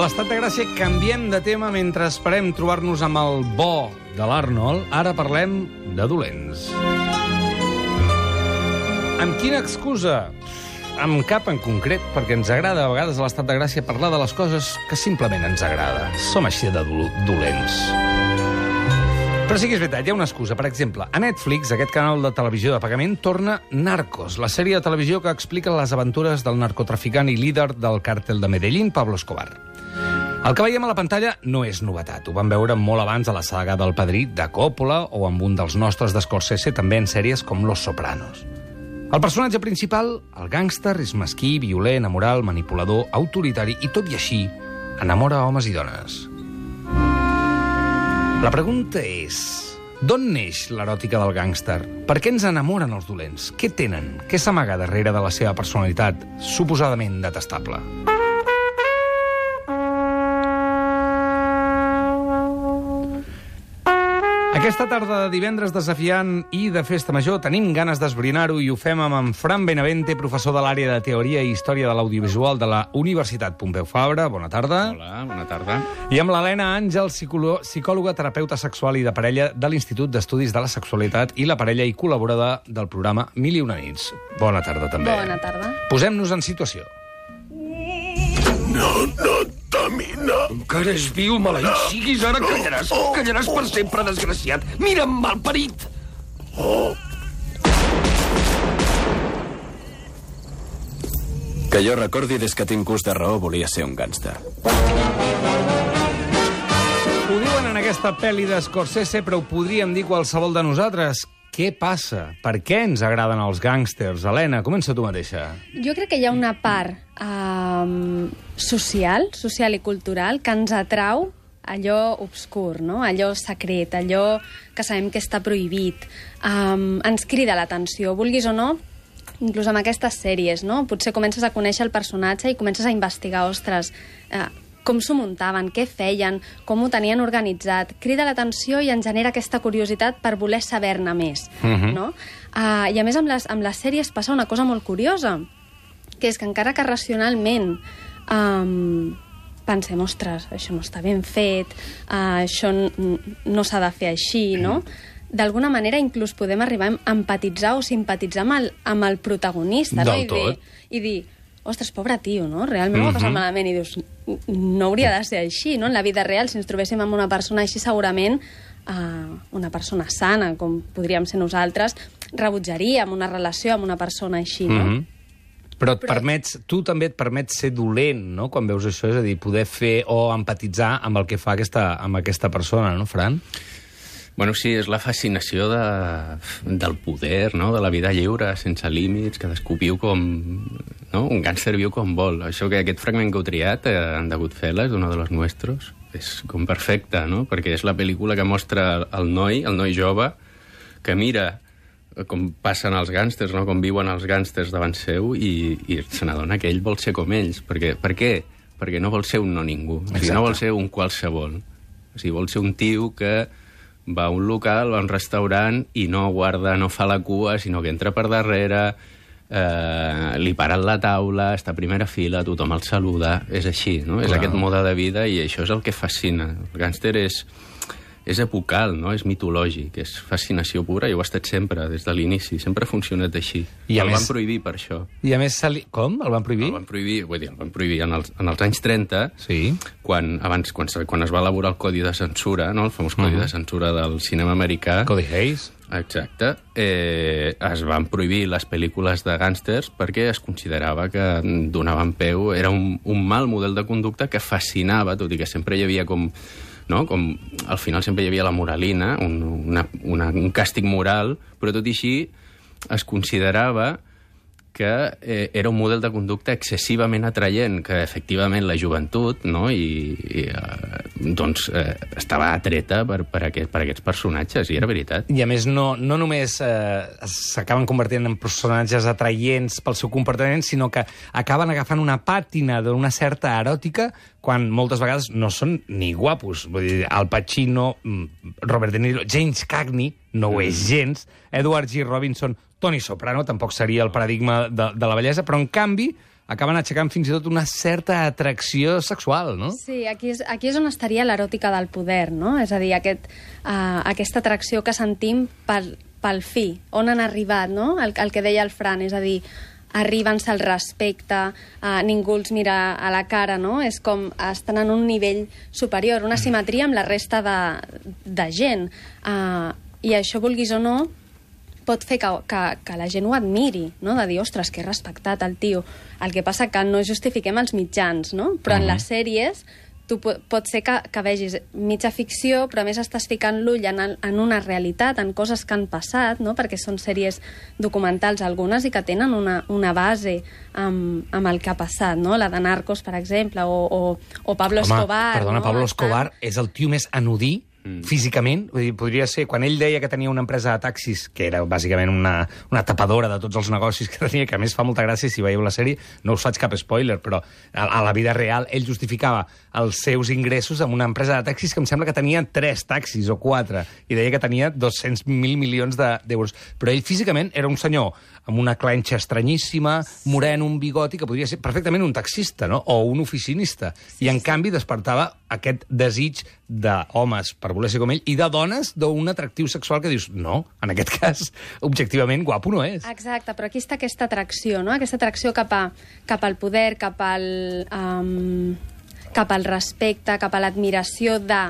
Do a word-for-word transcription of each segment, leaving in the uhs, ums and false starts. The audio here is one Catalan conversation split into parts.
l'Estat de Gràcia canviem de tema mentre esperem trobar-nos amb el bo de l'Arnold. Ara parlem de dolents. Amb quina excusa? Amb cap en concret, perquè ens agrada a vegades a l'Estat de Gràcia parlar de les coses que simplement ens agrada. Som així de do dolents. Però sí que és veritat, hi ha una excusa. Per exemple, a Netflix, aquest canal de televisió de pagament, torna Narcos, la sèrie de televisió que explica les aventures del narcotraficant i líder del càrtel de Medellín, Pablo Escobar. El que veiem a la pantalla no és novetat. Ho vam veure molt abans a la saga del Padrí de Coppola o amb un dels nostres de Scorsese, també en sèries com Los Sopranos. El personatge principal, el gàngster, és mesquí, violent, amoral, manipulador, autoritari i, tot i així, enamora homes i dones. La pregunta és, d'on neix l'eròtica del gàngster? Per què ens enamoren els dolents? Què tenen? Què s'amaga darrere de la seva personalitat suposadament detestable? Aquesta tarda de divendres desafiant i de festa major tenim ganes d'esbrinar-ho i ho fem amb en Fran Benavente, professor de l'àrea de Teoria i Història de l'Audiovisual de la Universitat Pompeu Fabra. Bona tarda. Hola, bona tarda. I amb l'Helena Àngel, psicòloga, terapeuta sexual i de parella de l'Institut d'Estudis de la Sexualitat i la Parella i col·laboradora del programa Mil i una nits. Bona tarda, també. Bona tarda. Posem-nos en situació. No, no, Tamina. Encara és viu, maleït siguis, ara callaràs. Callaràs per sempre, desgraciat. Mira'm, malparit. Oh. Que jo recordi, des que tinc ús de raó, volia ser un gàngster. Ho diuen en aquesta pel·li de Scorsese, però ho podríem dir qualsevol de nosaltres. Què passa? Per què ens agraden els gàngsters? Helena, comença tu mateixa. Jo crec que hi ha una part um, social, social i cultural, que ens atrau allò obscur, no? Allò secret, allò que sabem que està prohibit. Um, ens crida l'atenció, vulguis o no, inclús amb aquestes sèries, no? Potser comences a conèixer el personatge i comences a investigar, ostres, eh, com s'ho muntaven, què feien, com ho tenien organitzat. Crida l'atenció i ens genera aquesta curiositat per voler saber-ne més. Uh-huh. No? Uh, I a més, amb les, amb les sèries passa una cosa molt curiosa, que és que encara que racionalment um, pensem, ostres, això no està ben fet, uh, això no s'ha de fer així, no? D'alguna manera inclús podem arribar a empatitzar o simpatitzar amb el, amb el protagonista. Del no? I dir, tot. I dir, ostres, pobre tio, no? Realment ho ha passat malament. I dius, no hauria de ser així, no? En la vida real, si ens trobéssim amb una persona així, segurament uh, una persona sana, com podríem ser nosaltres, rebutjaríem una relació amb una persona així, no? Mm-hmm. Però, et Però... permets, tu també et permets ser dolent, no?, quan veus això, és a dir, poder fer o empatitzar amb el que fa aquesta, amb aquesta persona, no, Fran? Bueno, sí, és la fascinació de, del poder, no?, de la vida lliure, sense límits, cadascú viu com... No? Un gàngster viu com vol. Això que aquest fragment que heu triat, eh, en The Goodfellas, uno de los nuestros, és com perfecte, no?, perquè és la pel·lícula que mostra el noi, el noi jove, que mira com passen els gàngsters, no?, com viuen els gàngsters davant seu i, i se n'adona que ell vol ser com ells. Perquè, per què? Perquè no vol ser un no ningú. O sigui, no vol ser un qualsevol. O sigui, vol ser un tio que va a un local, va a un restaurant i no guarda, no fa la cua, sinó que entra per darrere, eh, li paren la taula, està a primera fila, tothom el saluda. És així, no? Clar. És aquest mode de vida i això és el que fascina. El gàngster és... és epocal, no? És mitològic, és fascinació pura i ho ha estat sempre, des de l'inici. Sempre ha funcionat així. I el més... van prohibir per això. I a més, li... com? El van prohibir? El van prohibir, vull dir, el van prohibir en els, en els anys trenta, sí. quan, abans, quan, quan es va elaborar el Codi de Censura, no? El famós Codi uh-huh. de Censura del cinema americà. Codi Hayes. Exacte. Eh, es van prohibir les pel·lícules de gàngsters perquè es considerava que donaven peu, era un, un mal model de conducta que fascinava, tot i que sempre hi havia com... No? Com al final sempre hi havia la moralina, un, una, una, un càstig moral, però tot i així es considerava que eh, era un model de conducta excessivament atraient, que efectivament la joventut, no? I, i eh, doncs eh, estava atreta per, per, aquest, per aquests personatges, i era veritat. I a més no, no només eh, s'acaben convertint en personatges atraients pel seu comportament, sinó que acaben agafant una pàtina d'una certa eròtica quan moltes vegades no són ni guapos. Vull dir, Al Pacino, Robert De Niro, James Cagney no ho és gens, Edward G. Robinson, Tony Soprano tampoc seria el paradigma de, de la bellesa, però en canvi acaben aixecant fins i tot una certa atracció sexual, no? Sí, aquí és, aquí és on estaria l'eròtica del poder, no? És a dir, aquest, uh, aquesta atracció que sentim pel, pel fi, on han arribat, no? El, el que deia el Fran, és a dir, arriben se'l respecte, uh, ningú els mira a la cara, no? És com estan en un nivell superior, una simetria amb la resta de, de gent. Uh, I això, vulguis o no, pot fer que, que, que la gent ho admiri, no? De dir, ostres, que respectat el tio. El que passa que no justifiquem els mitjans, no? Però en les sèries tu pot ser que, que vegis mitja ficció, però a més estàs ficant l'ull en, en una realitat, en coses que han passat, no? Perquè són sèries documentals algunes i que tenen una, una base amb, amb el que ha passat, no? La de Narcos, per exemple, o, o, o Pablo Home, Escobar. Perdona, no? Pablo Escobar és el tio més anodí Mm. físicament, vull dir, podria ser, quan ell deia que tenia una empresa de taxis, que era bàsicament una, una tapadora de tots els negocis que tenia, que a més fa molta gràcia, si veieu la sèrie, no us faig cap spoiler, però a, a la vida real ell justificava els seus ingressos amb una empresa de taxis que em sembla que tenia tres taxis o quatre, i deia que tenia dos-cents mil milions d'euros. Però ell físicament era un senyor amb una clenxa estranyíssima, moreno, un bigoti, que podria ser perfectament un taxista, no? O un oficinista. I, en canvi, despertava aquest desig d'homes per voler ser com ell i de dones d'un atractiu sexual que dius, no, en aquest cas, objectivament, guapo no és. Exacte, però aquí està aquesta atracció, no? Aquesta atracció cap, a, cap al poder, cap al, um, cap al respecte, cap a l'admiració de...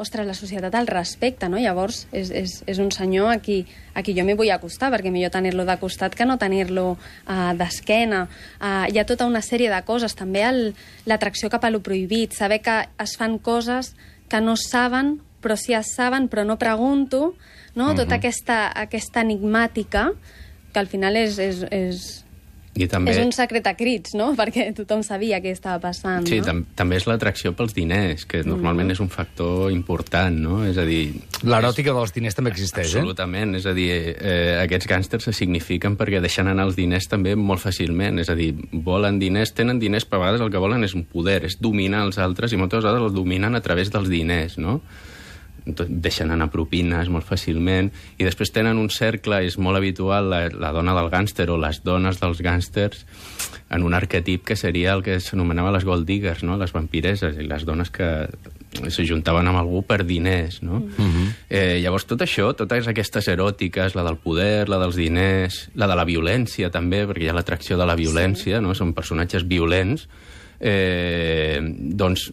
Ostres, la societat el respecta, no? Llavors, és, és, és un senyor a qui, a qui jo m'hi vull acostar, perquè millor tenir-lo de costat que no tenir-lo uh, d'esquena. Uh, hi ha tota una sèrie de coses. També l'atracció cap a lo prohibit, saber que es fan coses que no saben, però sí es saben, però no pregunto, no? Uh-huh. Tota aquesta, aquesta enigmàtica, que al final és... és, és I també... És un secret a crits, no? Perquè tothom sabia què estava passant, sí, no? tam també és l'atracció pels diners, que normalment mm. és un factor important, no? És a dir... L'eròtica és... dels diners també existeix, Absolutament, eh? Absolutament, és a dir, eh, aquests gàngsters se signifiquen perquè deixen anar els diners també molt fàcilment, és a dir, volen diners, tenen diners, però a vegades el que volen és un poder, és dominar els altres, i moltes vegades els dominen a través dels diners, no? Deixen anar propines molt fàcilment, i després tenen un cercle, és molt habitual la, la dona del gàngster o les dones dels gàngsters en un arquetip que seria el que s'anomenava les gold diggers, no? Les vampireses, i les dones que s'ajuntaven amb algú per diners, no? Mm-hmm. eh, llavors tot això, totes aquestes eròtiques, la del poder, la dels diners, la de la violència també, perquè hi ha l'atracció de la violència, sí. No? Són personatges violents, eh, doncs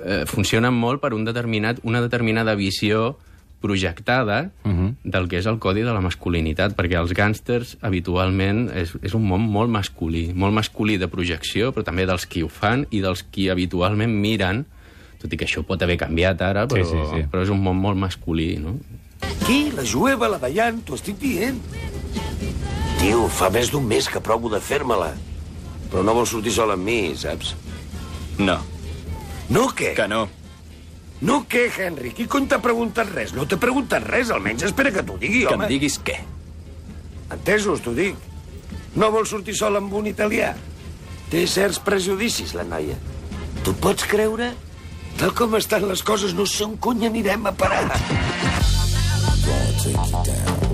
Eh, funcionen molt per un determinat, una determinada visió projectada uh-huh. del que és el codi de la masculinitat, perquè els gàngsters habitualment és, és un món molt masculí, molt masculí de projecció, però també dels qui ho fan i dels qui habitualment miren, tot i que això pot haver canviat ara, però, sí, sí, sí. però és un món molt masculí, no? Qui? La Jueva, la Dayan, t'ho estic dient. Tio, fa més d'un mes que provo de fer-me-la, però no vols sortir sol amb mi, saps? No. No què? Que no. No què, Henry? Qui cony t'ha preguntat res? No t'he preguntat res, almenys espera que t'ho digui, que home. Que em diguis què? Entesos, t'ho dic. No vols sortir sol amb un italià? Té certs prejudicis, la noia. Tu pots creure? Tal com estan les coses, no sé on cony anirem a parar.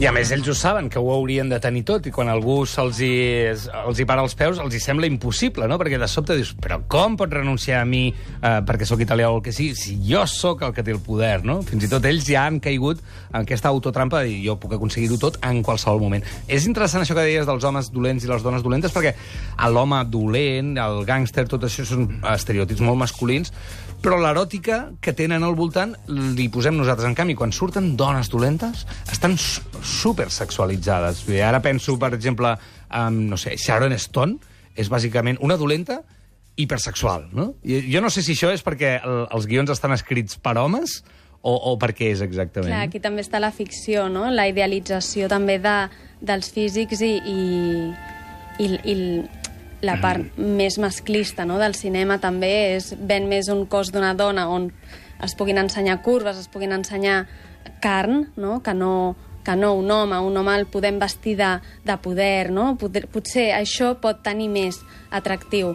I a més ells ho saben, que ho haurien de tenir tot, i quan algú se'ls hi, els hi para els peus, els hi sembla impossible, no? Perquè de sobte dius, però com pot renunciar a mi eh, perquè sóc italià o el que sigui, si jo sóc el que té el poder, no? Fins i tot ells ja han caigut en aquesta autotrampa de dir, jo puc aconseguir-ho tot en qualsevol moment. És interessant això que deies dels homes dolents i les dones dolentes, perquè l'home dolent, el gàngster, tot això són estereotips molt masculins, però l'eròtica que tenen al voltant li posem nosaltres. En canvi, quan surten dones dolentes, estan supersexualitzades. Ara penso, per exemple, en, no sé, Sharon Stone és bàsicament una dolenta hipersexual, no? I jo no sé si això és perquè el, els guions estan escrits per homes o, o per què és exactament. Clar, aquí també està la ficció, no? La idealització també de, dels físics i, i, i, i la part mm. més masclista, no? Del cinema també és ven més un cos d'una dona on es puguin ensenyar curves, es puguin ensenyar carn, no? Que no, que no un home. Un home el podem vestir de, de poder, no? Poder, potser això pot tenir més atractiu.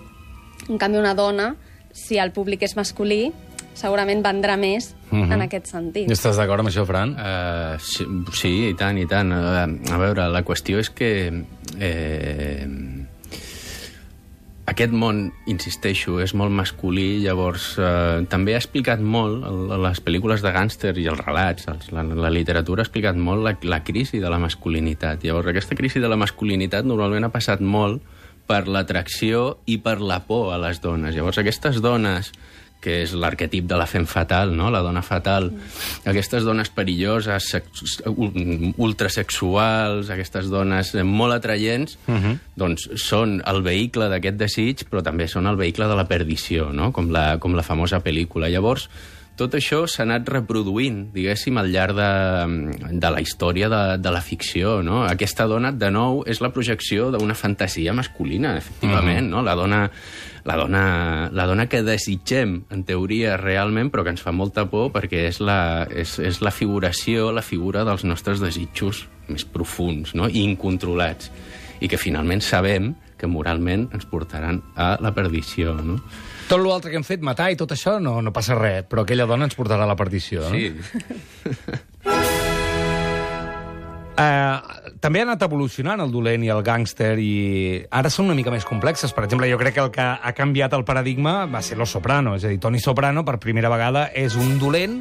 En canvi, una dona, si el públic és masculí, segurament vendrà més uh-huh. en aquest sentit. Estàs d'acord amb això, Fran? Uh, sí, sí, i tant, i tant. Uh, a veure, la qüestió és que... Eh, aquest món, insisteixo, és molt masculí, llavors eh, també ha explicat molt, a les pel·lícules de gàngster i els relats, els, la, la literatura ha explicat molt la, la crisi de la masculinitat. Llavors, aquesta crisi de la masculinitat normalment ha passat molt per l'atracció i per la por a les dones. Llavors, aquestes dones, que és l'arquetip de la femme fatal, no? La dona fatal, aquestes dones perilloses, ultrasexuals, aquestes dones molt atraients, uh-huh. doncs són el vehicle d'aquest desig, però també són el vehicle de la perdició, no? Com la, com la famosa pel·lícula. Llavors, tot això s'ha anat reproduint, diguéssim, al llarg de, de la història de, de la ficció, no? Aquesta dona, de nou, és la projecció d'una fantasia masculina, efectivament, uh-huh. no? La dona, la, dona, la dona que desitgem, en teoria, realment, però que ens fa molta por perquè és la, és, és la figuració, la figura dels nostres desitjos més profuns, no? I incontrolats, i que finalment sabem que moralment ens portaran a la perdició, no? Tot l'altre que hem fet, matar i tot això, no, no passa res, però aquella dona ens portarà a la perdició, no? Sí. uh, també ha anat evolucionant el dolent i el gàngster i ara són una mica més complexes. Per exemple, jo crec que el que ha canviat el paradigma va ser Los Soprano. És a dir, Tony Soprano, per primera vegada, és un dolent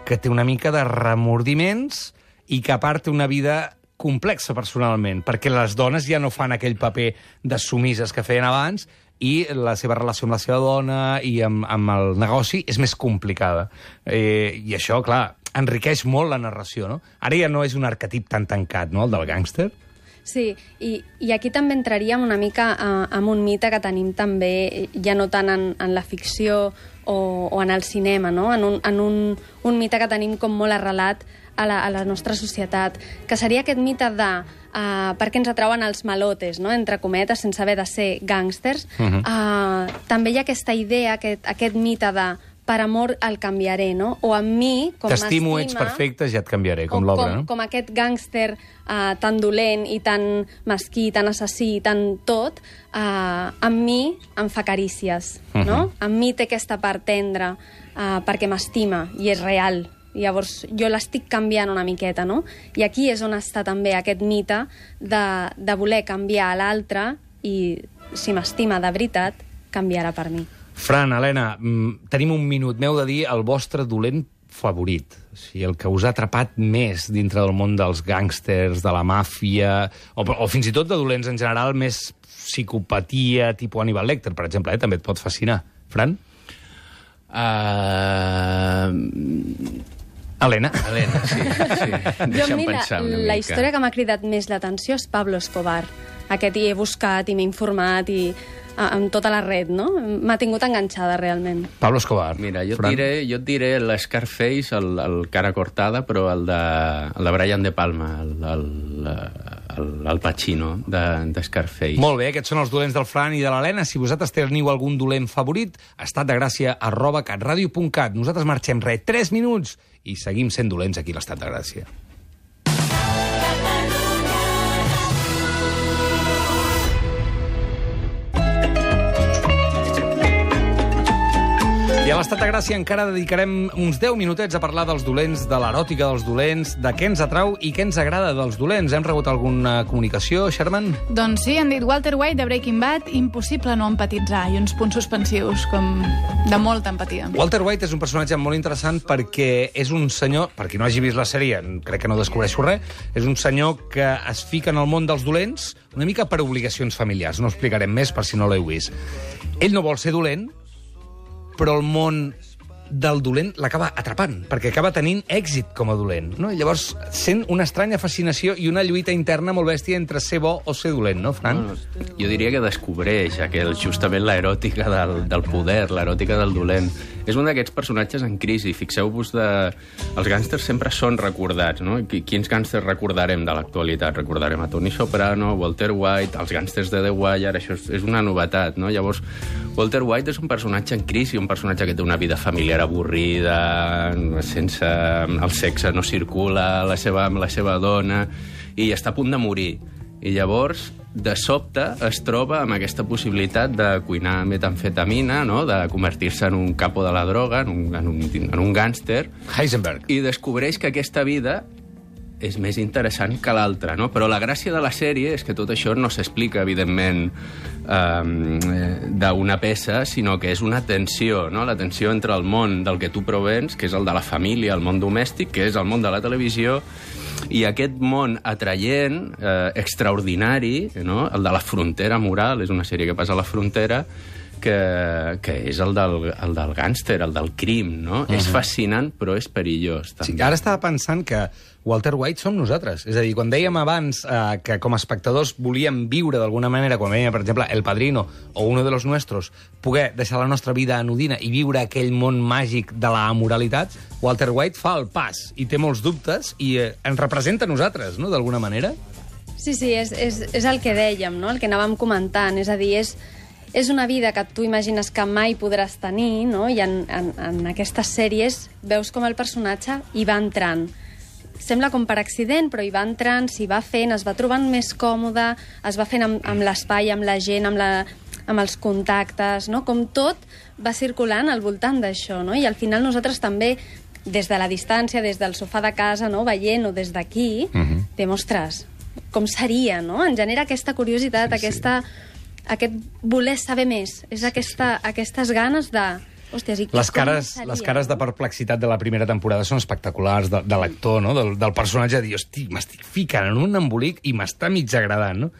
que té una mica de remordiments i que a part té una vida complexa personalment, perquè les dones ja no fan aquell paper de sumises que feien abans i la seva relació amb la seva dona i amb, amb el negoci és més complicada. Eh, I això, clar, enriqueix molt la narració, no? Ara ja no és un arquetip tan tancat, no?, el del gàngster. Sí, i, i aquí també entraríem una mica uh, amb un mite que tenim també, ja no tant en, en la ficció o, o en el cinema, no? En, un, en un, un mite que tenim com molt arrelat a la, a la nostra societat, que seria aquest mite de uh, per què ens atrauen els malotes, no? Entre cometes, sense haver de ser gàngsters. Uh-huh. uh, també hi ha aquesta idea, aquest, aquest mite de per amor el canviaré, no? O amb mi, com m'estima... T'estimo, ets perfecte, ja et canviaré, com l'obra, no? Com aquest gàngster uh, tan dolent i tan mesquí, tan assassí, tan tot, uh, amb mi em fa carícies, uh-huh. no? Amb mi té aquesta part tendra uh, perquè m'estima i és real. Llavors, jo l'estic canviant una miqueta, no? I aquí és on està també aquest mite de, de voler canviar a l'altre i, si m'estima de veritat, canviarà per mi. Fran, Helena, tenim un minut. M'heu de dir el vostre dolent favorit. O sigui, el que us ha atrapat més dintre del món dels gàngsters, de la màfia, o, o fins i tot de dolents en general, més psicopatia, tipus Hannibal Lecter, per exemple, eh? També et pot fascinar. Fran? Uh... Helena. Helena, sí. sí. Jo, a mi, la, la història que m'ha cridat més l'atenció és Pablo Escobar. Aquest hi he buscat i m'he informat i amb tota la red, no? M'ha tingut enganxada, realment. Pablo Escobar. Mira, jo et diré, jo et diré l'Scarface, el, el cara cortada, però el de, el de Brian De Palma, el, el, el, el Pacino de, de Scarface. Molt bé, aquests són els dolents del Fran i de l'Helena. Si vosaltres teniu algun dolent favorit, estatdegràcia arroba catradio punt cat. Nosaltres marxem res, tres minuts, i seguim sent dolents aquí a l'Estat de Gràcia. I a l'Estat de Gràcia encara dedicarem uns deu minutets a parlar dels dolents, de l'eròtica dels dolents, de què ens atrau i què ens agrada dels dolents. Hem rebut alguna comunicació, Sherman? Doncs sí, han dit Walter White de Breaking Bad, impossible no empatitzar, i uns punts suspensius com de molta empatia. Walter White és un personatge molt interessant perquè és un senyor, per qui no hagi vist la sèrie, crec que no descobreixo res, és un senyor que es fica en el món dels dolents una mica per obligacions familiars. No ho explicarem més per si no l'heu vist. Ell no vol ser dolent, però el món del dolent l'acaba atrapant, perquè acaba tenint èxit com a dolent, no? I llavors sent una estranya fascinació i una lluita interna molt bèstia entre ser bo o ser dolent, no, Fran? No, jo diria que descobreix aquell, justament l'eròtica del, del poder, l'eròtica del dolent. És un d'aquests personatges en crisi. Fixeu-vos, de... els gàngsters sempre són recordats, no? Quins gàngsters recordarem de l'actualitat? Recordarem a Tony Soprano, Walter White, els gàngsters de The Wire, això és una novetat, no? Llavors, Walter White és un personatge en crisi, un personatge que té una vida familiar avorrida, sense... el sexe no circula la seva, amb la seva dona, i està a punt de morir. I llavors, de sobte, es troba amb aquesta possibilitat de cuinar metamfetamina, no? De convertir-se en un capo de la droga, en un, en un, en un gàngster. Heisenberg. I descobreix que aquesta vida és més interessant que l'altra, no? Però la gràcia de la sèrie és que tot això no s'explica, evidentment, eh, d'una peça, sinó que és una tensió, no? La tensió entre el món del que tu provens, que és el de la família, el món domèstic, que és el món de la televisió, i aquest món atraient, eh, extraordinari, no? El de la frontera moral, és una sèrie que passa a la frontera, que, que és el del, el del gàngster, el del crim, no? Uh-huh. És fascinant, però és perillós, també. Sí, ara estava pensant que Walter White som nosaltres. És a dir, quan dèiem abans eh, que com a espectadors volíem viure d'alguna manera, quan veiem, per exemple, El Padrino o Uno de los Nuestros, poder deixar la nostra vida anodina i viure aquell món màgic de la moralitat, Walter White fa el pas i té molts dubtes i eh, ens representa a nosaltres, no?, d'alguna manera. Sí, sí, és, és, és el que dèiem, no?, el que anàvem comentant. És a dir, és... És una vida que tu imagines que mai podràs tenir, no? I en, en, en aquestes sèries veus com el personatge hi va entrant. Sembla com per accident, però hi va entrant, s'hi va fent, es va trobant més còmode, es va fent amb, amb l'espai, amb la gent, amb, la, amb els contactes, no? Com tot va circulant al voltant d'això, no? I al final nosaltres també, des de la distància, des del sofà de casa, no? Veient-ho des d'aquí, uh-huh. Diem, ostres, com seria, no? En genera aquesta curiositat, sí, aquesta... Sí. Aquest voler saber més, és aquesta, aquestes ganes de... Hòsties, i les cares, seria, les cares de perplexitat de la primera temporada són espectaculars, de, de l'actor, no? del, del personatge, de dir, hosti, m'estic ficant en un embolic i m'està mig agradant, no?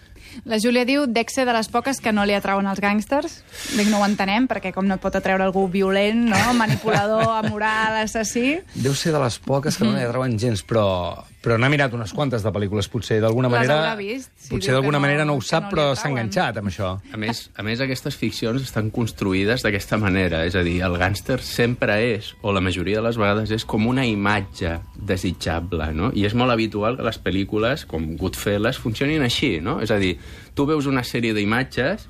La Júlia diu, dec ser de les poques que no li atrauen els gàngsters. Dic, no ho entenem, perquè com no et pot atreure algú violent, no? Manipulador, amoral, assassí... Deu ser de les poques que no li atrauen gens, però, però n'ha mirat unes quantes de pel·lícules, potser d'alguna manera... Les haurà vist. Si potser d'alguna no, manera no ho sap, no però s'ha enganxat amb això. A més, a més, aquestes ficcions estan construïdes d'aquesta manera, és a dir, el gàngster sempre és, o la majoria de les vegades és, com una imatge desitjable, no? I és molt habitual que les pel·lícules, com Goodfellas, funcionin així, no? És a dir, tu veus una sèrie d'imatges,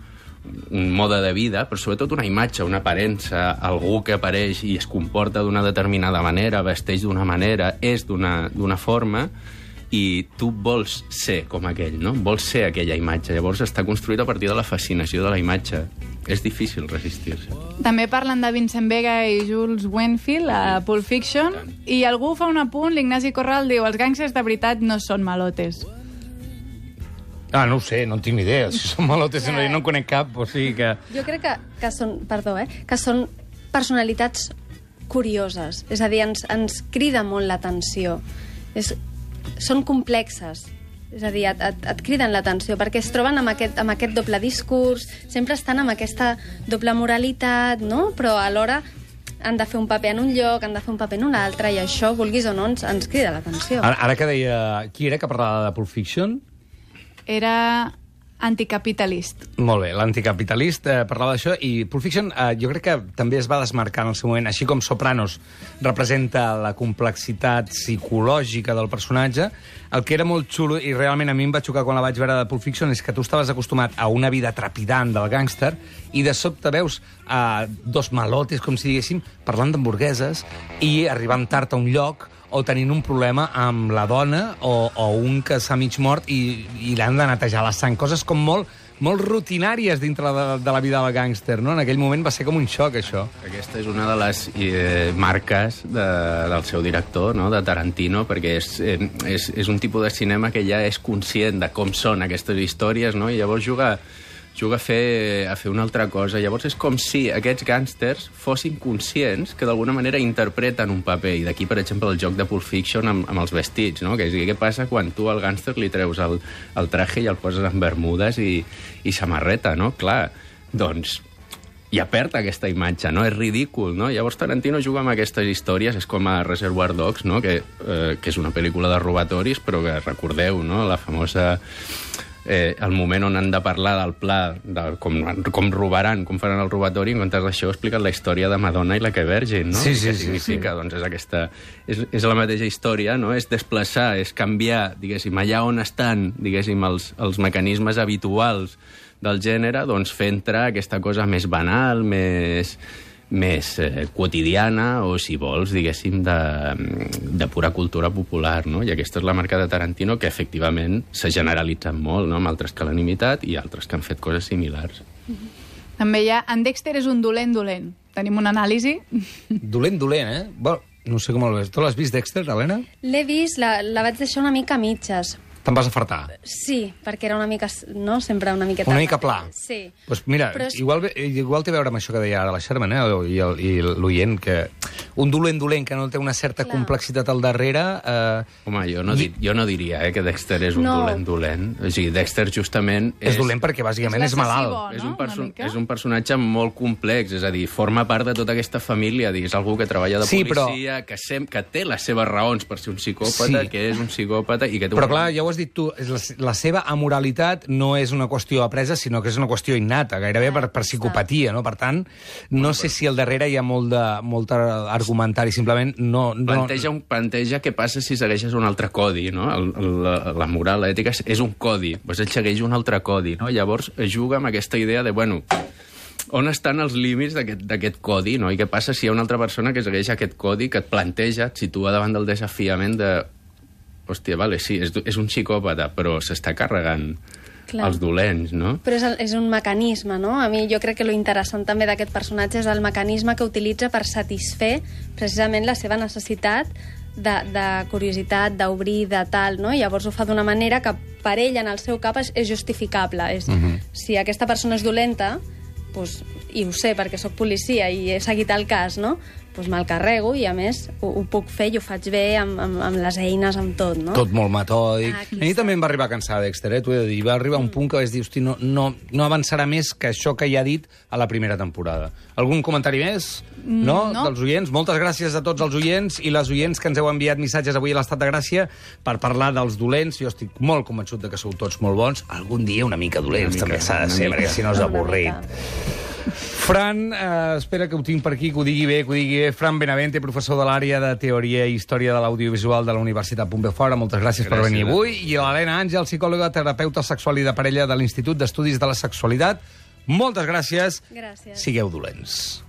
un mode de vida, però sobretot una imatge, una aparença, algú que apareix i es comporta d'una determinada manera, vesteix d'una manera, és d'una forma, i tu vols ser com aquell, no? Vols ser aquella imatge. Llavors està construït a partir de la fascinació de la imatge. És difícil resistir-se. També parlen de Vincent Vega i Jules Winnfield a Pulp Fiction, i algú fa un apunt, l'Ignasi Corral diu, els gàngsters de veritat no són malotes. Ah, no ho sé, no en tinc ni idea. Si són malotes, no, no en conec cap, o sigui que... Jo crec que, que són, perdó, eh, que són personalitats curioses. És a dir, ens, ens crida molt l'atenció. És, són complexes. És a dir, et, et, et criden l'atenció, perquè es troben amb aquest, amb aquest doble discurs, sempre estan amb aquesta doble moralitat, no? Però alhora han de fer un paper en un lloc, han de fer un paper en un altre, i això, vulguis o no, ens, ens crida l'atenció. Ara, ara que deia... Qui era que parlava de Pulp Fiction? Era anticapitalist. Molt bé, l'anticapitalist eh, parlava d'això, i Pulp Fiction eh, jo crec que també es va desmarcar en el seu moment, així com Sopranos representa la complexitat psicològica del personatge. El que era molt xulo, i realment a mi em va xocar quan la vaig veure de Pulp Fiction, és que tu estaves acostumat a una vida trepidant del gàngster i de sobte veus eh, dos malotes, com si diguéssim, parlant d'hamburgueses i arribant tard a un lloc, o tenint un problema amb la dona, o, o un que s'ha mig mort i, i l'han de netejar la sang. Coses com molt, molt rutinàries dintre de, de la vida del gàngster, no? En aquell moment va ser com un xoc, això. Aquesta és una de les eh, marques de, del seu director, no? De Tarantino, perquè és, eh, és, és un tipus de cinema que ja és conscient de com són aquestes històries, no? I llavors juga... juga a fer, a fer una altra cosa. Llavors és com si aquests gàngsters fossin conscients que d'alguna manera interpreten un paper. I d'aquí, per exemple, el joc de Pulp Fiction amb, amb els vestits, no? Que és, què passa quan tu al gàngster li treus el, el traje i el poses en bermudes i, i samarreta, no? Clar, doncs ja perd aquesta imatge, no? És ridícul, no? Llavors Tarantino juga amb aquestes històries, és com a Reservoir Dogs, no? Que, eh, que és una pel·lícula de robatoris, però que recordeu, no? La famosa... Eh, el moment on han de parlar del pla, de com, com robaran, com faran el robatori, en comptes d'això expliquen la història de Madonna i la que Virgin, no? Sí, sí, què significa? sí. Doncs és aquesta... És, és la mateixa història, no? És desplaçar, és canviar, diguéssim, allà on estan, diguéssim, els, els mecanismes habituals del gènere, doncs fer entrar aquesta cosa més banal, més... més eh, quotidiana o, si vols, diguéssim, de, de pura cultura popular, no? I aquesta és la marca de Tarantino, que efectivament s'ha generalitzat molt, no? Amb altres que l'han imitat i altres que han fet coses similars. També hi ha... En Dexter és un dolent dolent. Tenim una anàlisi? Dolent dolent, eh? Bueno, No sé com el ves. Tu l'has vist, Dexter, Helena? L'he vist, la, la vaig deixar una mica a mitges. Te'n vas afartar? Sí, perquè era una mica, no? Sempre una miqueta... Una mica pla. Sí. Pues mira, és... igual, igual té a veure amb això que deia ara la Sherman, eh? I, el, i l'oient, que un dolent dolent que no té una certa Clar. complexitat al darrere... Eh... Home, jo no, di jo no diria eh, que Dexter és un no. dolent dolent. O sigui, Dexter justament... És, és dolent perquè bàsicament és, és malalt. No? És, un perso és un personatge molt complex, és a dir, forma part de tota aquesta família, és algú que treballa de sí, policia, però... que, sem que té les seves raons per ser un psicòpata, sí. que és un psicòpata i que té... Però un... clar, ja ho has dit tu, és la la seva amoralitat no és una qüestió apresa, sinó que és una qüestió innata, gairebé per, per psicopatia, no? Per tant, no sé si al darrere hi ha molt de, molt argumentari, simplement no... no... Planteja, un, planteja què passa si segueixes un altre codi, no? El, la, la moral, l'ètica és un codi, doncs ell segueix un altre codi, no? Llavors juga amb aquesta idea de, bueno, on estan els límits d'aquest codi, no? I què passa si hi ha una altra persona que segueix aquest codi, que et planteja, et situa davant del desafiament de... Hòstia, vale, sí, és, és un psicòpata, però s'està carregant Clar. els dolents, no? Però és, el, és un mecanisme, no? A mi jo crec que lo interessant també d'aquest personatge és el mecanisme que utilitza per satisfer precisament la seva necessitat de, de curiositat, d'obrir, de tal, no? I llavors ho fa d'una manera que per ell, en el seu cap, és, és justificable. És, uh -huh. Si aquesta persona és dolenta, doncs, i ho sé perquè sóc policia i he seguit el cas, no? Doncs me'l carrego i, a més, ho, ho puc fer i ho faig bé amb, amb, amb les eines, amb tot, no? Tot molt metòdic. Ah, a mi també em va arribar a cansar, Dexter, eh? T'ho he de dir. Va arribar mm. un punt que vaig dir, hosti, no, no, no avançarà més que això que ja ha dit a la primera temporada. Algun comentari més? Mm, no? no? Dels oients? Moltes gràcies a tots els oients i les oients que ens heu enviat missatges avui a l'Estat de Gràcia per parlar dels dolents. Jo estic molt convençut de que sou tots molt bons. Algun dia una mica dolents, una mica, també s'ha de ser, perquè si no és avorrit. Fran, eh, espera que ho tinc per aquí, que ho digui bé, que ho digui bé. Fran Benavente, professor de l'àrea de Teoria i Història de l'Audiovisual de la Universitat Pompeu Fabra. Moltes gràcies, gràcies per venir avui. I l'Helena Àngel, psicòloga, terapeuta sexual i de parella de l'Institut d'Estudis de la Sexualitat. Moltes gràcies. Gràcies. Sigueu dolents.